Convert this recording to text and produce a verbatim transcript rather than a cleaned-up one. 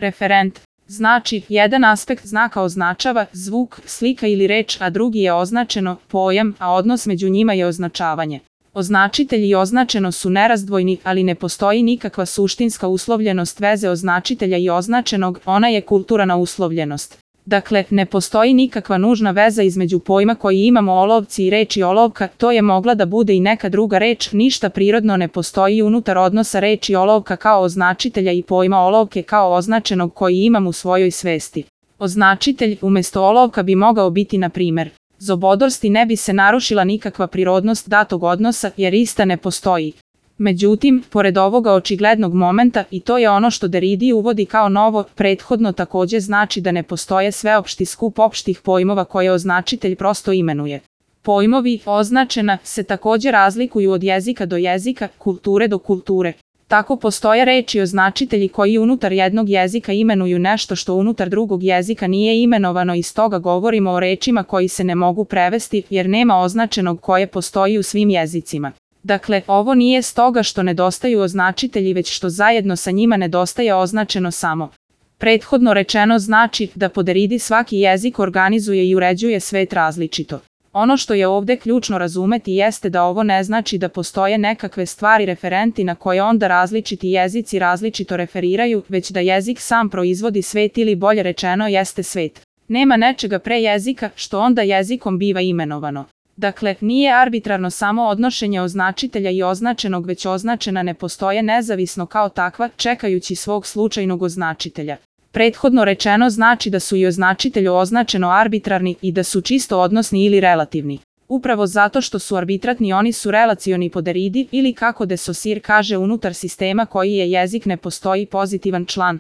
Referent znači, jedan aspekt znaka označava zvuk, slika ili reč, a drugi je označeno, pojam, a odnos među njima je označavanje. Označitelj i označeno su nerazdvojni, ali ne postoji nikakva suštinska uslovljenost veze označitelja i označenog, ona je kulturna uslovljenost. Dakle, ne postoji nikakva nužna veza između pojma koji imamo olovci i reči olovka, to je mogla da bude i neka druga reč, ništa prirodno ne postoji unutar odnosa reči olovka kao označitelja i pojma olovke kao označenog koji imam u svojoj svesti. Označitelj umesto olovka bi mogao biti na primer zobodorst i ne bi se narušila nikakva prirodnost datog odnosa jer ista ne postoji. Međutim, pored ovoga očiglednog momenta, i to je ono što Derrida uvodi kao novo, prethodno takođe znači da ne postoje sveopšti skup opštih pojmova koje označitelj prosto imenuje. Pojmovi označena se takođe razlikuju od jezika do jezika, kulture do kulture. Tako postoje reči označitelji koji unutar jednog jezika imenuju nešto što unutar drugog jezika nije imenovano i stoga govorimo o rečima koji se ne mogu prevesti jer nema označenog koje postoji u svim jezicima. Dakle, ovo nije stoga što nedostaju označitelji već što zajedno sa njima nedostaje označeno samo. Prethodno rečeno znači da po Derridi svaki jezik organizuje i uređuje svet različito. Ono što je ovde ključno razumeti jeste da ovo ne znači da postoje nekakve stvari referenti na koje onda različiti jezici različito referiraju, već da jezik sam proizvodi svet ili bolje rečeno jeste svet. Nema nečega pre jezika što onda jezikom biva imenovano. Dakle, nije arbitrarno samo odnošenje označitelja i označenog već označena ne postoje nezavisno kao takva, čekajući svog slučajnog označitelja. Prethodno rečeno znači da su i označitelju označeno arbitrarni i da su čisto odnosni ili relativni. Upravo zato što su arbitratni oni su relacioni po Derridi ili kako de Saussure kaže unutar sistema koji je jezik ne postoji pozitivan član.